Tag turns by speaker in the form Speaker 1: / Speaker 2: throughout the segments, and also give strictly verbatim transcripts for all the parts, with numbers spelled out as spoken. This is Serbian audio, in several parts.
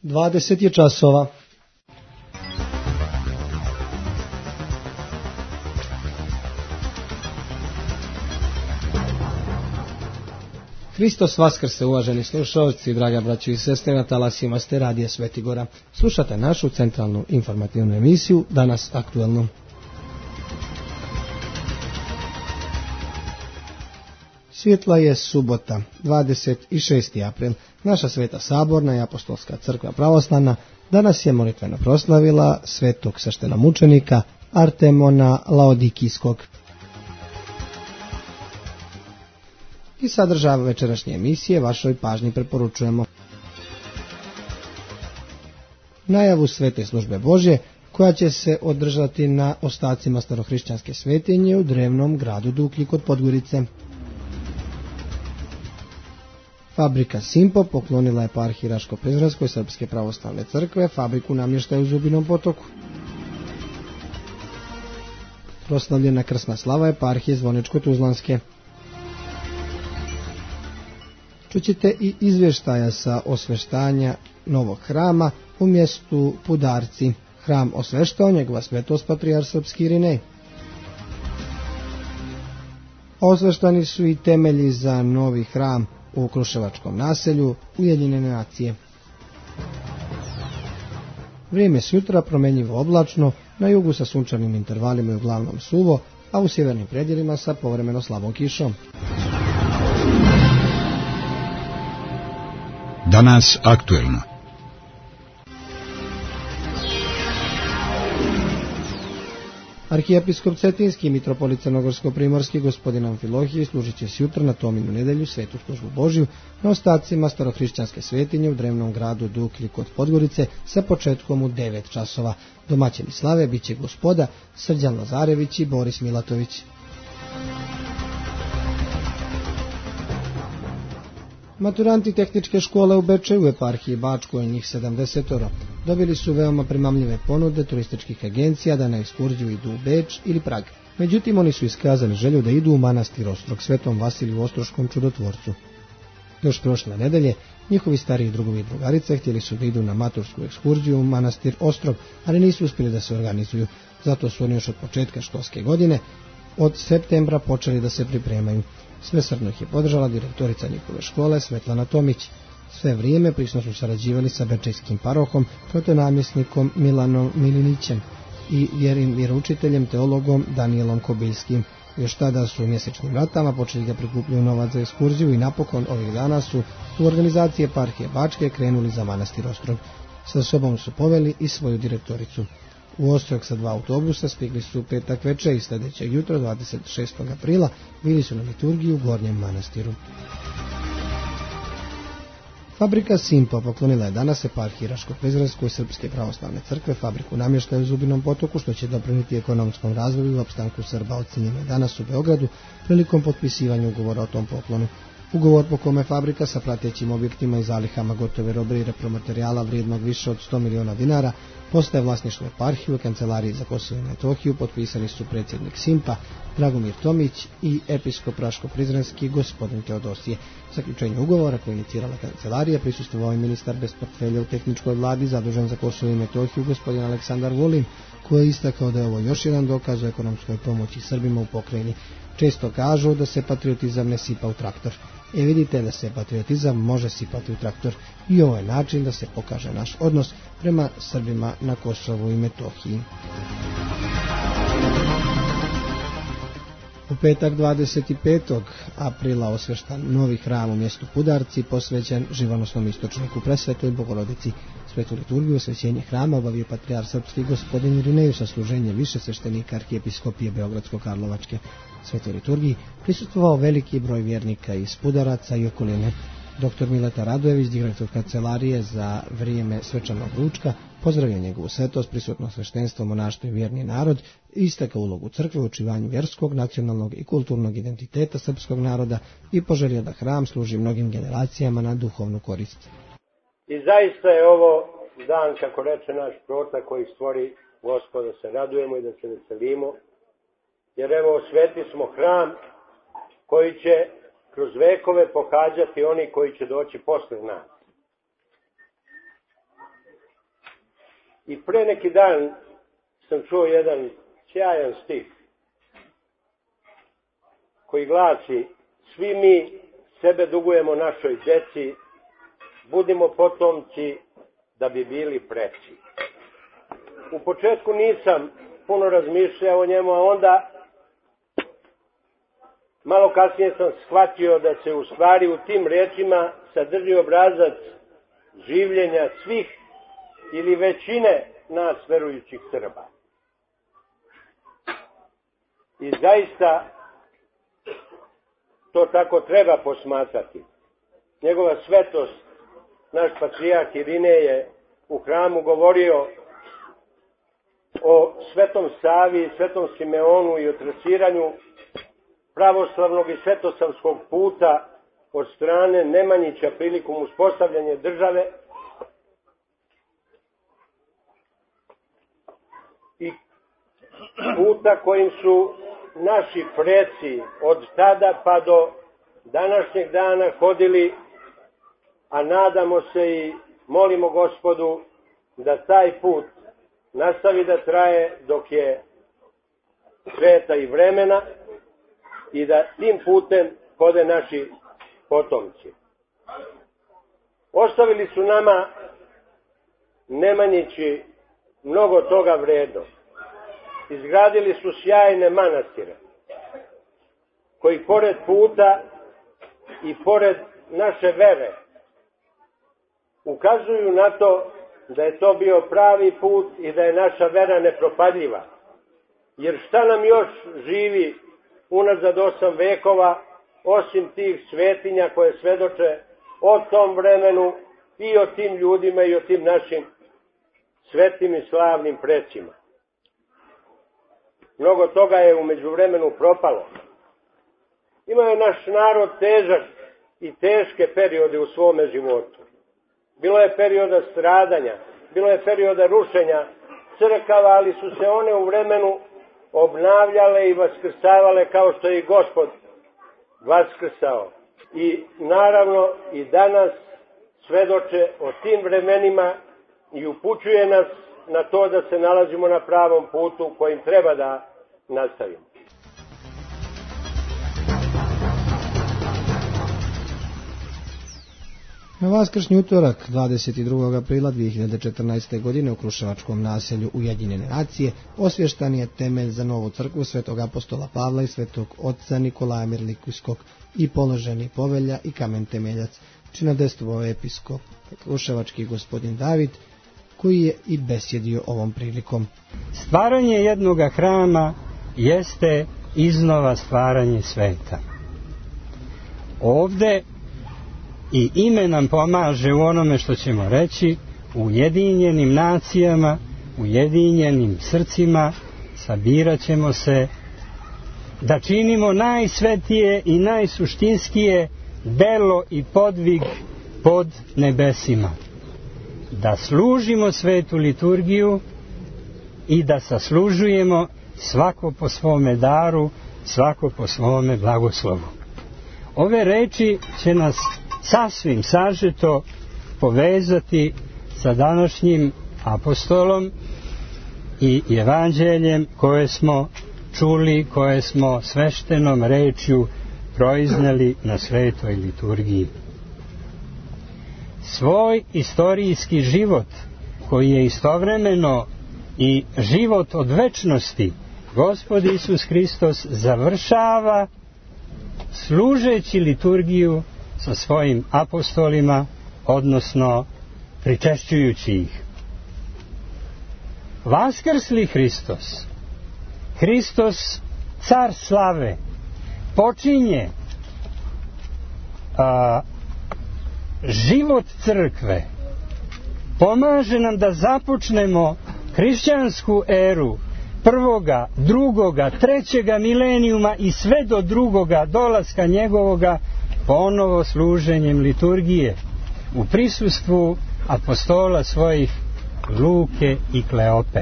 Speaker 1: dvadeset je časova. Hristos vaskrse, uvaženi slušalci, draga braćo i sestre, na talasima ste radija Svetigora. Slušate našu centralnu informativnu emisiju, danas aktuelno. Svjetla je subota, dvadeset šesti april. Naša Sveta Saborna i Apostolska crkva pravoslavna danas je molitveno proslavila svetog sveštenomučenika Artemona Laodikijskog. I sadržaj večerašnje emisije vašoj pažnji preporučujemo najavu Svete službe Božje, koja će se održati na ostacima starohrišćanske svetinje u drevnom gradu Duklji kod Podgorice. Fabrika Simpo poklonila eparhiji Raško-Prizrenskoj Srpske pravoslavne crkve fabriku namještaja u Zubinom Potoku. Proslavljena krsna slava eparhije Zvoničko-Tuzlanske. Čućete i izvještaja sa osveštanja novog hrama u mjestu Pudarci. Hram osveštao njegova svetost patrijar srpski Irinej. Osveštani su i temelji za novi hram u Kruševačkom naselju Ujedinjene nacije. Vrijeme sutra promjenjivo oblačno, na jugu sa sunčanim intervalima i uglavnom suvo, a u sjevernim predjelima sa povremeno slabom kišom.
Speaker 2: Danas aktuelno.
Speaker 1: Arhijepiskop Cetinski i mitropolit Crnogorsko-primorski gospodin Amfilohije služit će sutra na Tominu nedelju svetu službu Božju na ostacima starohrišćanske svetinje u drevnom gradu Duklji kod Podgorice sa početkom u devet časova. Domaćini slave bit će gospoda Srđan Lazarević i Boris Milatović. Maturanti tehničke škole u Bečeju u eparhiji Bačkoj, njih sedamdesetoro, dobili su veoma primamljive ponude turističkih agencija da na ekskurziju idu u Beč ili Prag. Međutim, oni su iskazali želju da idu u manastir Ostrog Svetom Vasiliju Ostroškom čudotvorcu. Još prošle nedelje, njihovi stariji drugovi i drugarice htjeli su da idu na matursku ekskurziju u manastir Ostrog, ali nisu uspjeli da se organizuju. Zato su oni još od početka školske godine, od septembra, počeli da se pripremaju. Svesrdno ih je podržala direktorica njihove škole Svetlana Tomić. Sve vrijeme prisno su sarađivali sa bečejskim parohom, protonamjesnikom Milanom Milinićem i vjeroučiteljem teologom Danielom Kobiljskim. Još tada su u mjesečnim ratama počeli da prikupljaju novac za ekskurziju i napokon ovih dana su u organizaciji eparhije Bačke krenuli za manastir Ostrog. Sa sobom su poveli i svoju direktoricu. U Ostrog sa dva autobusa stigli su petak večer i sljedećeg jutra, dvadeset šestog aprila, bili su na liturgiji u Gornjem manastiru. Fabrika Simpo poklonila je danas eparhiji Raško-Prizrenskoj Srpske pravoslavne crkve fabriku namještaja u Zubinom Potoku, što će doprinijeti ekonomskom razvoju i opstanku Srba. Ocenjeno je danas u Beogradu prilikom potpisivanja ugovora o tom poklonu. Ugovor po kome fabrika sa pratećim objektima i zalihama gotove robe i repromaterijala vrijednog više od sto miliona dinara postaje vlasništvo eparhije u Kancelariji za Kosovo i Metohiju, potpisali su predsjednik Simpa Dragomir Tomić i episkop Raško-Prizrenski gospodin Teodosije. Zaključenje ugovora koje inicirala kancelarija prisustvovao i ministar bez portfelja u tehničkoj vladi zadužen za Kosovo i Metohiju gospodin Aleksandar Vulin, koji je istakao da je ovo još jedan dokaz o ekonomskoj pomoći Srbima u pokrajini. Često kažu da se patriotizam ne sipa u traktor. E vidite da se patriotizam može sipati u traktor i ovo je način da se pokaže naš odnos prema Srbima na Kosovu i Metohiji. U petak dvadeset petog aprila osveštan novi hram u mjestu Pudarci posvećen živonosnom istočniku Presvetoj Bogorodici. Svetu liturgiju osvećenje hrama obavio patrijar srpski gospodin Irinej sa služenje više sveštenika arhijepiskopije Beogradsko-Karlovačke. Svetoj liturgiji prisustvovao veliki broj vjernika iz Pudaraca i okoline. Doktor Mileta Radojević, direktor kancelarije za vrijeme svečanog ručka, pozdravio njegovu svetost, prisutno sveštenstvo, monaštvo i vjerni narod, istakao ulogu crkve u očuvanju vjerskog, nacionalnog i kulturnog identiteta srpskog naroda i poželio da hram služi mnogim generacijama na duhovnu korist.
Speaker 3: I zaista je ovo dan, kako reče naš prota, koji stvori Gospod, da se radujemo i da se veselimo, jer evo osvetili smo hram koji će kroz vekove pohađati oni koji će doći posle nas. I pre neki dan sam čuo jedan sjajan stih koji glasi: svi mi sebe dugujemo našoj deci, budimo potomci da bi bili preci. U početku nisam puno razmišljao o njemu, a onda malo kasnije sam shvatio da se u stvari u tim rečima sadrži obrazac življenja svih ili većine nas verujućih Srba. I zaista to tako treba posmatrati. Njegova svetost, naš patrijarh Irinej, je u hramu govorio o Svetom Savi, Svetom Simeonu i o trasiranju pravoslavnog i svetosavskog puta od strane Nemanjića prilikom uspostavljanja države i puta kojim su naši preci od tada pa do današnjeg dana hodili, a nadamo se i molimo Gospodu da taj put nastavi da traje dok je sveta i vremena i da tim putem hode naši potomci. Ostavili su nama Nemanjići mnogo toga vredno. Izgradili su sjajne manastire koji pored puta i pored naše vere ukazuju na to da je to bio pravi put i da je naša vera nepropadljiva. Jer šta nam još živi unazad osam vekova osim tih svetinja koje svedoče o tom vremenu i o tim ljudima i o tim našim svetim i slavnim precima. Mnogo toga je u međuvremenu propalo. Imao je naš narod težak i teške periode u svome životu. Bilo je perioda stradanja, bilo je perioda rušenja crkava, ali su se one u vremenu obnavljale i vaskrsavale kao što je i Gospod vaskrsao. I naravno i danas svedoče o tim vremenima i upućuje nas na to da se nalazimo na pravom putu kojim treba da nastavimo.
Speaker 1: Na vaskršnji utorak dvadeset drugog aprila dve hiljade četrnaeste. godine u kruševačkom naselju Ujedinjene nacije osvještan je temelj za novu crkvu Svetog apostola Pavla i Svetog oca Nikolaja Mirlikijskog i položeni povelja i kamen temeljac, činodestvovao episkop kruševački gospodin David, koji je i besjedio ovom prilikom.
Speaker 4: Stvaranje jednoga hrama jeste iznova stvaranje sveta. Ovde i ime nam pomaže u onome što ćemo reći, u ujedinjenim nacijama, ujedinjenim srcima, sabirat ćemo se da činimo najsvetije i najsuštinskije delo i podvig pod nebesima. Da služimo svetu liturgiju i da saslužujemo svako po svome daru, svako po svome blagoslovu. Ove reči će nas sasvim sažeto povezati sa današnjim apostolom i evanđeljem koje smo čuli, koje smo sveštenom rečju proizneli na svetoj liturgiji. Svoj istorijski život, koji je istovremeno i život od večnosti, Gospod Isus Hristos završava služeći liturgiju sa svojim apostolima, odnosno pričešćujući ih. Vaskrsli Hristos, Hristos car slave, počinje a, život crkve, pomaže nam da započnemo hrišćansku eru prvoga, drugoga, trećega milenijuma i sve do drugoga dolaska njegovoga ponovo služenjem liturgije u prisustvu apostola svojih Luke i Kleope.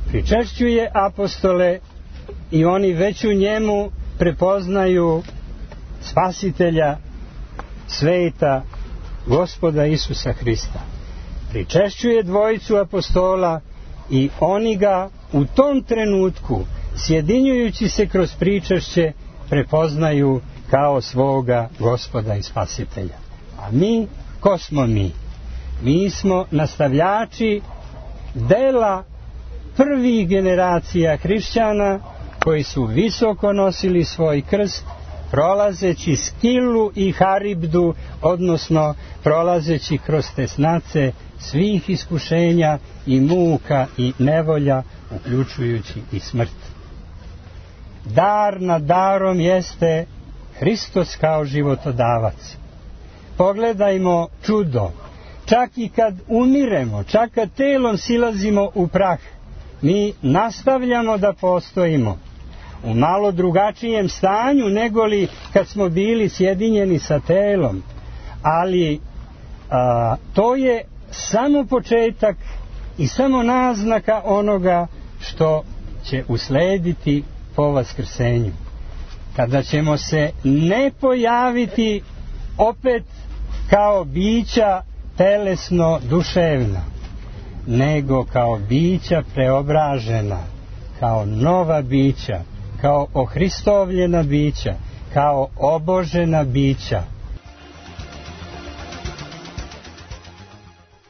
Speaker 4: Pričešćuje apostole i oni već u njemu prepoznaju spasitelja sveta, Gospoda Isusa Hrista. pričešćuje dvojicu apostola i oni ga u tom trenutku, sjedinjujući se kroz pričešće, prepoznaju kao svoga Gospoda i Spasitelja. A mi, ko smo mi? Mi smo nastavljači dela prvih generacija hrišćana koji su visoko nosili svoj krst, prolazeći Skilu i Haribdu, odnosno prolazeći kroz tesnace svih iskušenja i muka i nevolja, uključujući i smrt. Dar nad darom jeste Hristos kao životodavac. Pogledajmo čudo. Čak i kad umiremo, čak kad telom silazimo u prah, mi nastavljamo da postojimo u malo drugačijem stanju negoli kad smo bili sjedinjeni sa telom. Ali a, to je samo početak i samo naznaka onoga što će uslediti po vaskrsenju. Kada ćemo se ne pojaviti opet kao bića telesno duševna, nego kao bića preobražena, kao nova bića, kao ohristovljena bića, kao obožena bića.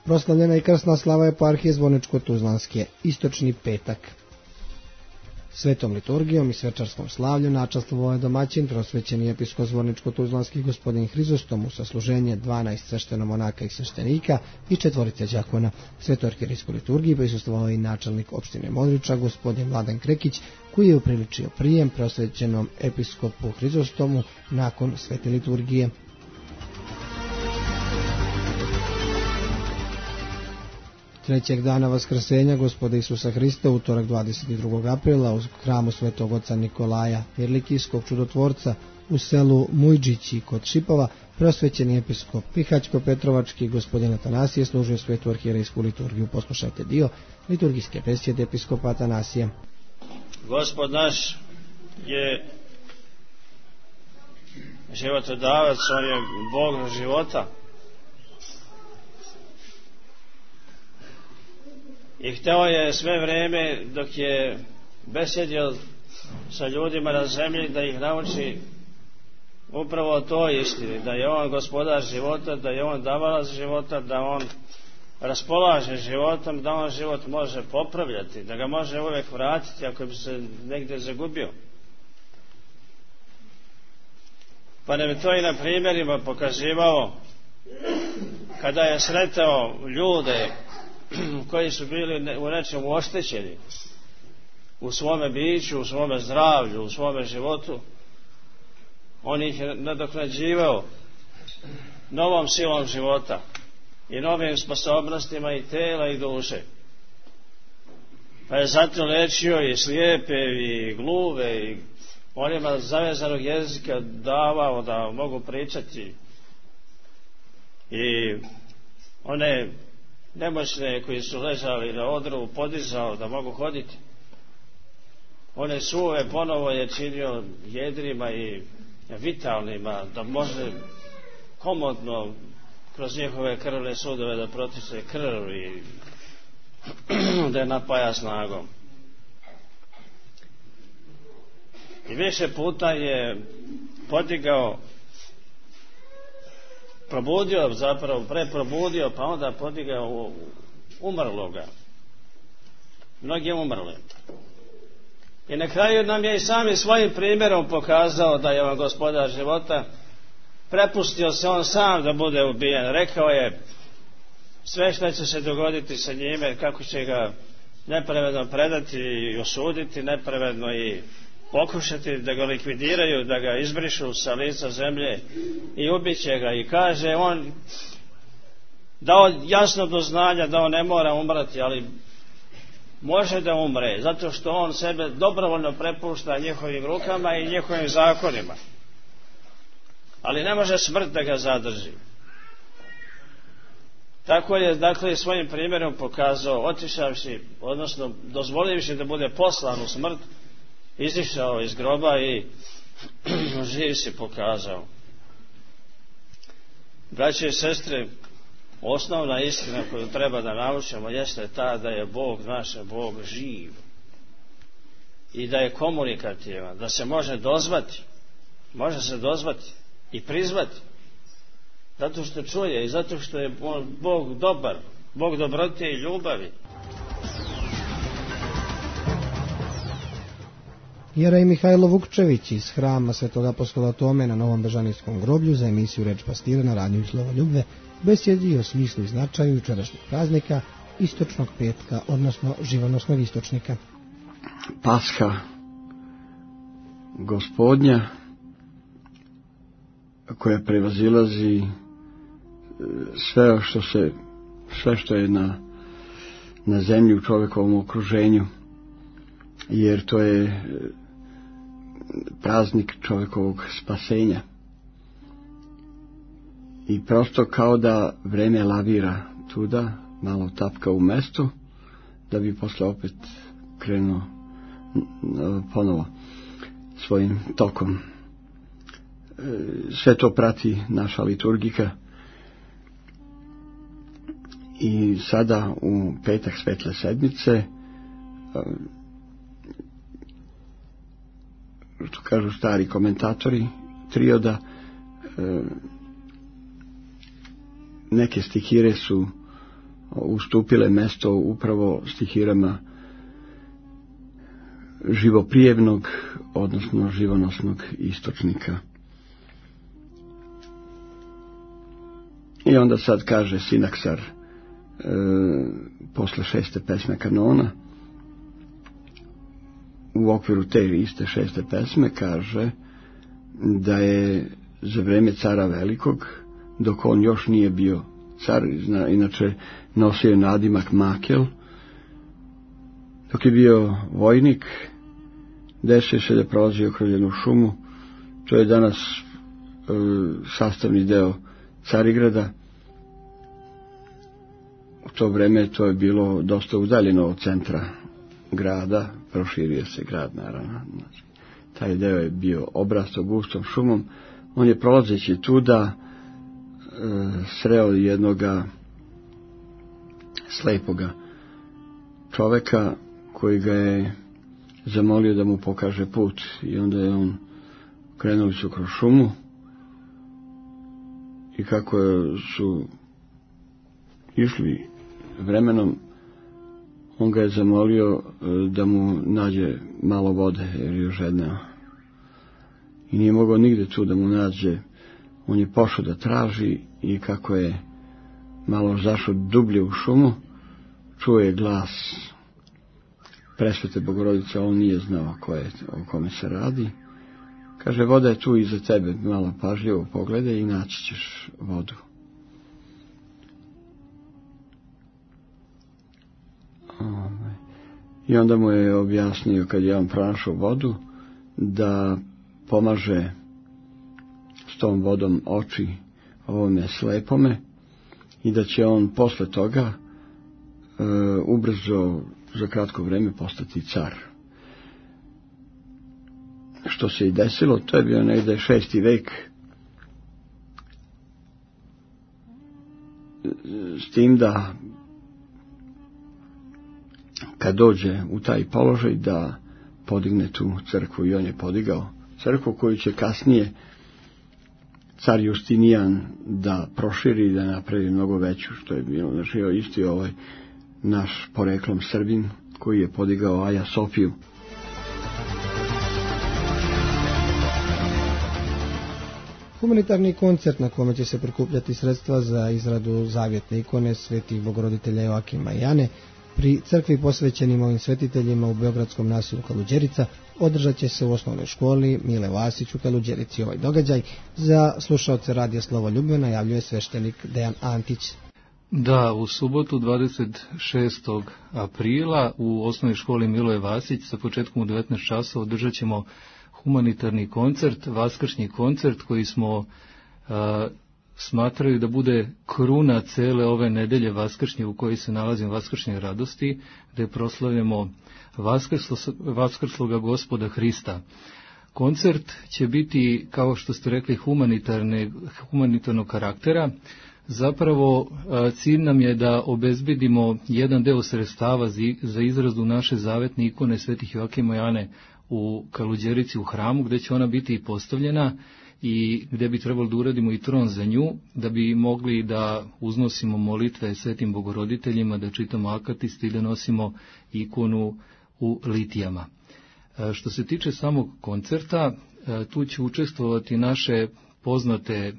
Speaker 1: Proslavljena i krsna slava eparhije Zvorničko-Tuzlanske, istočni petak. Svetom liturgijom i svečarskom slavlju načastvovao je domaćin, prosvećeni episkop Zvorničko-Tuzlanski gospodin Hrizostom, u sasluženje dvanaest sveštenomonaka i sveštenika i četvorice đakona. Svetoj arhijerejskoj liturgiji prisustvovao i načelnik opštine Modriča gospodin Vladan Krekić, koji je upriličio prijem prosvećenom episkopu Hrizostomu nakon svete liturgije. Trećeg dana vaskrsenja Gospoda Isusa Hrista, utorak dvadeset drugog aprila, u hramu svetog oca Nikolaja Virlikijskog čudotvorca u selu Mujđići kod Šipova, prosvećeni episkop Pihaćko-Petrovački gospodin Atanasije služio svetu arhijerejsku liturgiju. Poslušajte dio liturgijske besjede episkopa Atanasija.
Speaker 5: Gospod naš je životodavac, on je Bog života. I hteo je sve vreme dok je besjedio sa ljudima na zemlji da ih nauči upravo o toj istini, da je on gospodar života, da je on davalac života, da on raspolaže životom, da on život može popravljati, da ga može uvijek vratiti ako bi se negdje zagubio. Pa nam je to i na primjerima pokazivao kada je sretao ljude koji su bili u nečemu oštećeni u svome biću, u svome zdravlju, u svome životu. On ih je nadoknađivao novom silom života i novim sposobnostima i tela i duše. Pa je zato lečio i slijepe i gluve i onima zavezanog jezika davao da mogu pričati i one nemoćne koji su ležali na odru podizao da mogu hoditi. One suve ponovo je činio jedrima i vitalnima, da može komodno kroz njihove krvne sudove da protiče krv i da je napaja snagom. I više puta je podigao, probudio, zapravo preprobudio, pa onda podigao umrloga. Mnogi umrli. I na kraju nam je i sami svojim primjerom pokazao da je on gospodar života. Prepustio se on sam da bude ubijen. Rekao je sve što će se dogoditi sa njime, kako će ga nepravedno predati i osuditi, nepravedno i pokušati da ga likvidiraju, da ga izbrišu sa lica zemlje i ubiće ga. I kaže on, dao jasno do znanja da on ne mora umrati, ali može da umre, zato što on sebe dobrovoljno prepušta njihovim rukama i njihovim zakonima. Ali ne može smrt da ga zadrži. Tako je, dakle, svojim primjerom pokazao, otišavši, odnosno dozvolivši da bude poslan u smrt, izišao iz groba i živ se pokazao. Braće i sestre, osnovna istina koju treba da naučimo jeste ta da je Bog naš, Bog živ i da je komunikativan, da se može dozvati, može se dozvati i prizvati, zato što čuje i zato što je Bog dobar, Bog dobrote i ljubavi.
Speaker 1: Jerej Mihajlo Vukčević iz hrama Svetog apostola Tome na Novom Bežanijskom groblju za emisiju Reč pastira na radiju Slovoljubve besjedi o smislu i značaju jučerašnjeg praznika istočnog petka, odnosno živonosnog istočnika.
Speaker 6: Pasha Gospodnja koja prevazilazi sve što se sve što je na, na zemlji u čovjekovom okruženju, jer to je praznik čovjekovog spasenja. I prosto kao da vreme lavira tuda, malo tapka u mestu, da bi posle opet krenuo ponovo svojim tokom. Sve to prati naša liturgika i sada u petak Svetle sedmice, što kažu stari komentatori trioda, neke stihire su ustupile mesto upravo stihirama živoprijevnog, odnosno živonosnog istočnika. I onda sad kaže Sinaksar e, posle šeste pesme kanona, u okviru te iste šeste pesme kaže da je za vreme cara Velikog, dok on još nije bio car, inače nosio je nadimak Makel, dok je bio vojnik, desio se da je prolazio kroz jednu šumu, to je danas e, sastavni deo Carigrada. U to vreme to je bilo dosta udaljeno od centra grada, proširio se grad naravno. Taj deo je bio obrastao gustom šumom. On je prolazeći tuda e, sreo jednoga slepoga čoveka koji ga je zamolio da mu pokaže put, i onda je on krenuli su kroz šumu i kako su išli vremenom, on ga je zamolio da mu nađe malo vode jer je žedneo i nije mogao nigde tu da mu nađe. On je pošao da traži i kako je malo zašao dublje u šumu, čuo je glas Presvete Bogorodice, on nije znao ko je, o kome se radi. Kaže, voda je tu iza tebe, malo pažljivo pogledaj i naći ćeš vodu. I onda mu je objasnio, kad je on pronašao vodu, da pomaže s tom vodom oči ovome slepome i da će on posle toga e, ubrzo za kratko vreme postati car. Što se i desilo, to je bio negde šesti vek, s tim da kad dođe u taj položaj da podigne tu crkvu, i on je podigao crkvu koju će kasnije car Justinijan da proširi i da napravi mnogo veću, što je bilo, znači isti ovaj naš poreklom Srbin koji je podigao Aja Sofiju.
Speaker 1: Humanitarni koncert na kome će se prikupljati sredstva za izradu zavjetne ikone svetih Bogoroditelja Joakima i Ane pri crkvi posvećenim ovim svetiteljima u beogradskom naselju Kaluđerica održat će se u osnovnoj školi Mile Vasić u Kaluđerici. Ovaj događaj za slušaoce radija Slovoljubve najavljuje sveštenik Dejan Antić.
Speaker 7: Da, u subotu dvadeset šestog aprila u osnovnoj školi Miloje Vasić sa početkom u devetnaest časova održat ćemo humanitarni koncert, vaskršnji koncert koji smo a, smatraju da bude kruna cele ove nedelje vaskršnje u kojoj se nalazimo vaskršnje radosti, gde proslavljamo vaskrslo, vaskrsloga Gospoda Hrista. Koncert će biti, kao što ste rekli, humanitarne, humanitarnog karaktera. Zapravo cilj nam je da obezbedimo jedan deo sredstava za izradu naše zavetne ikone Svetih Joakima i Ane u Kaluđerici u hramu, gde će ona biti postavljena i gde bi trebalo da uradimo i tron za nju, da bi mogli da uznosimo molitve Svetim Bogoroditeljima, da čitamo akatiste i da nosimo ikonu u litijama. Što se tiče samog koncerta, tu će učestvovati naše poznate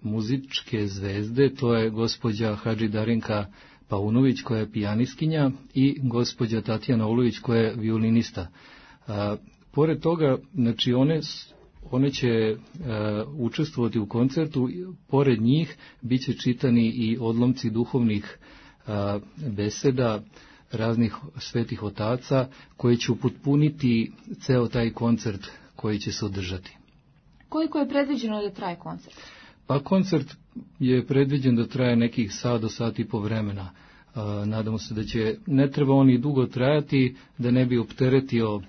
Speaker 7: muzičke zvezde, to je gospođa Hadži Darinka Paunović koja je pijaniskinja i gospođa Tatjana Olović koja je violinista. Pored toga, znači one One će e, učestvovati u koncertu, pored njih bit će čitani i odlomci duhovnih e, beseda raznih svetih otaca koji će upotpuniti ceo taj koncert koji će se održati.
Speaker 8: Koliko je predviđeno da traje koncert?
Speaker 7: Pa koncert je predviđen da traje nekih sat do sat i po vremena. E, nadamo se da će, ne treba on i dugo trajati, da ne bi opteretio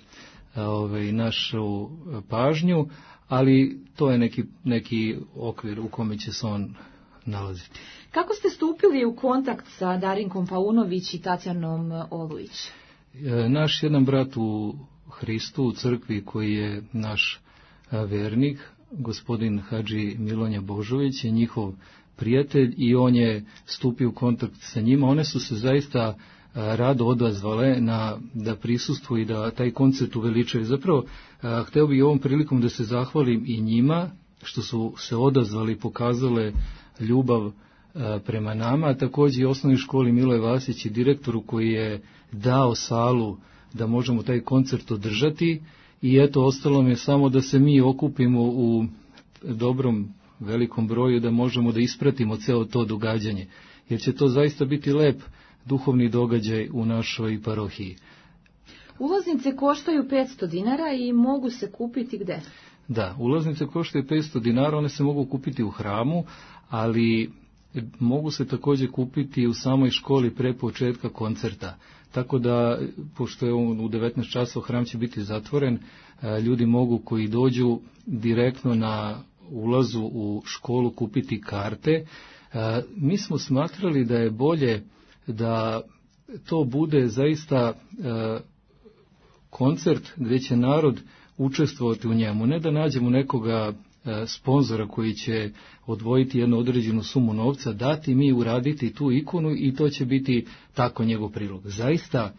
Speaker 7: Ove, našu pažnju, ali to je neki, neki okvir u kome će se on nalaziti.
Speaker 8: Kako ste stupili u kontakt sa Darinkom Paunović i Tatjanom Olujić?
Speaker 7: E, naš jedan brat u Hristu, u crkvi koji je naš vernik, gospodin Hadži Milonja Božović, je njihov prijatelj i on je stupio u kontakt sa njima. One su se zaista rado odazvale na, da prisustvuju i da taj koncert uveličaju. Zapravo, a, hteo bih ovom prilikom da se zahvalim i njima što su se odazvali i pokazale ljubav a, prema nama, a također i osnovnoj školi Miloje Vasić i direktoru koji je dao salu da možemo taj koncert održati i eto, ostalo mi je samo da se mi okupimo u dobrom velikom broju da možemo da ispratimo ceo to događanje, jer će to zaista biti lep duhovni događaj u našoj parohiji.
Speaker 8: Ulaznice koštaju petsto dinara i mogu se kupiti gde?
Speaker 7: Da, ulaznice koštaju petsto dinara, one se mogu kupiti u hramu, ali mogu se također kupiti u samoj školi pre početka koncerta. Tako da, pošto je on u devetnaest časova, hram će biti zatvoren, ljudi mogu koji dođu direktno na ulazu u školu kupiti karte. Mi smo smatrali da je bolje da to bude zaista e, koncert gdje će narod učestvovati u njemu, ne da nađemo nekoga e, sponzora koji će odvojiti jednu određenu sumu novca, dati mi uraditi tu ikonu i to će biti tako njegov prilog. Zaista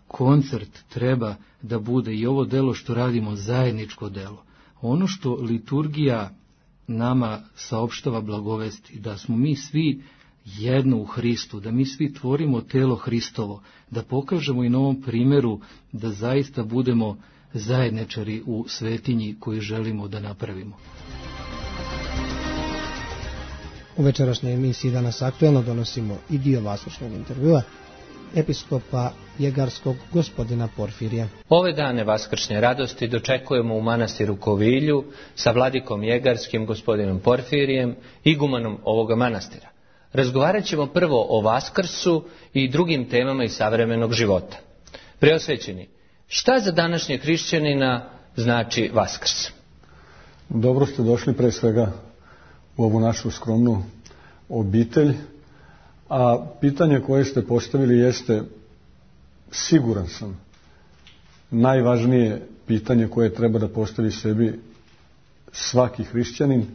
Speaker 7: koncert treba da bude i ovo delo što radimo zajedničko delo. Ono što liturgija nama saopštava blagovesti, da smo mi svi jedno u Hristu, da mi svi tvorimo telo Hristovo, da pokažemo i na ovom primjeru da zaista budemo zajedničari u svetinji koju želimo da napravimo.
Speaker 1: U večerašnjoj emisiji Danas aktuelno donosimo i dio vaskršnjeg intervjua episkopa Jegarskog gospodina Porfirija.
Speaker 9: Ove dane vaskršnje radosti dočekujemo u manastiru Kovilju sa vladikom Jegarskim gospodinom Porfirijem, igumanom ovoga manastira. Razgovarat ćemo prvo o Vaskrsu i drugim temama iz savremenog života. Preosvećeni, šta za današnje hrišćanina znači Vaskrs?
Speaker 10: Dobro ste došli pre svega u ovu našu skromnu obitelj, a pitanje koje ste postavili jeste, siguran sam, najvažnije pitanje koje treba da postavi sebi svaki hrišćanin,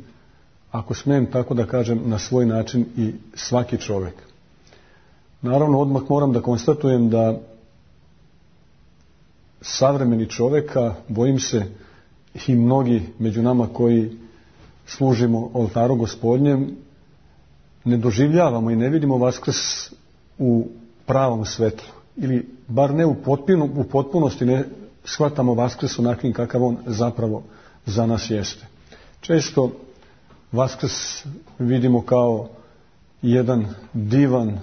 Speaker 10: ako smijem tako da kažem, na svoj način i svaki čovjek. Naravno, odmah moram da konstatujem da savremeni čovjeka, bojim se i mnogi među nama koji služimo oltaru Gospodnjem, ne doživljavamo i ne vidimo Vaskrs u pravom svetlu. Ili bar ne u, potpunu, u potpunosti ne shvatamo Vaskrs onakvim kakav on zapravo za nas jeste. Često Vaskrs vidimo kao jedan divan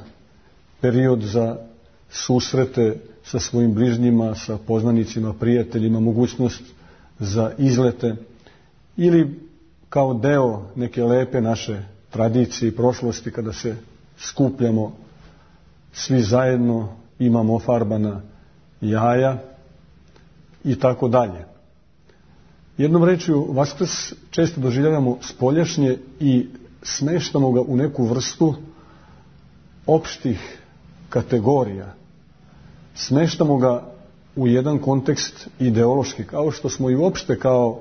Speaker 10: period za susrete sa svojim bližnjima, sa poznanicima, prijateljima, mogućnost za izlete ili kao deo neke lepe naše tradicije i prošlosti kada se skupljamo svi zajedno, imamo ofarbana jaja i tako dalje. Jednom rečju, Vaskrs često doživljavamo spoljašnje i smeštamo ga u neku vrstu opštih kategorija. Smeštamo ga u jedan kontekst ideološki, kao što smo i uopšte kao